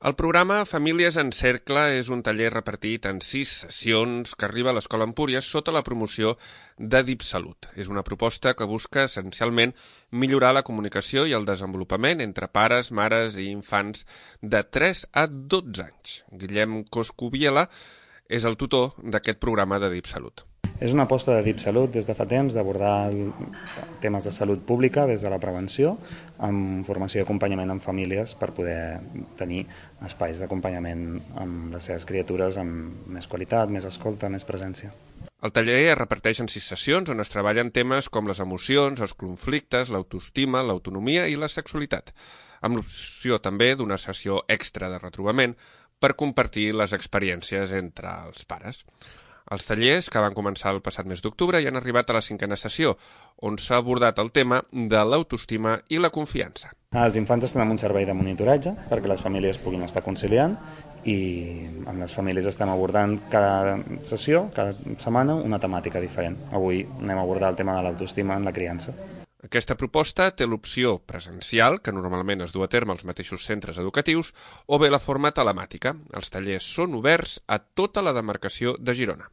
El programa Famílies en Cercle és un taller repartit en 6 sessions que arriba a l'Escola Empúries sota la promoció de DipSalut. És una proposta que busca essencialment millorar la comunicació i el desenvolupament entre pares, mares i infants de 3 a 12 anys. Guillem Coscubiela és el tutor d'aquest programa de DipSalut. És una aposta de DipSalut des de fa temps d'abordar temes de salut pública des de la prevenció amb formació i acompanyament en famílies per poder tenir espais d'acompanyament amb les seves criatures amb més qualitat, més escolta, més presència. El taller es reparteix en 6 sessions on es treballen temes com les emocions, els conflictes, l'autoestima, l'autonomia i la sexualitat, amb l'opció també d'una sessió extra de retrobament per compartir les experiències entre els pares. Els tallers, que van començar el passat mes d'octubre, ja han arribat a la 5a sessió, on s'ha abordat el tema de l'autoestima i la confiança. Els infants estan en un servei de monitoratge perquè les famílies puguin estar conciliant i amb les famílies estem abordant cada sessió, cada setmana, una temàtica diferent. Avui anem a abordar el tema de l'autoestima en la criança. Aquesta proposta té l'opció presencial, que normalment es du a terme als mateixos centres educatius, o bé la forma telemàtica. Els tallers són oberts a tota la demarcació de Girona.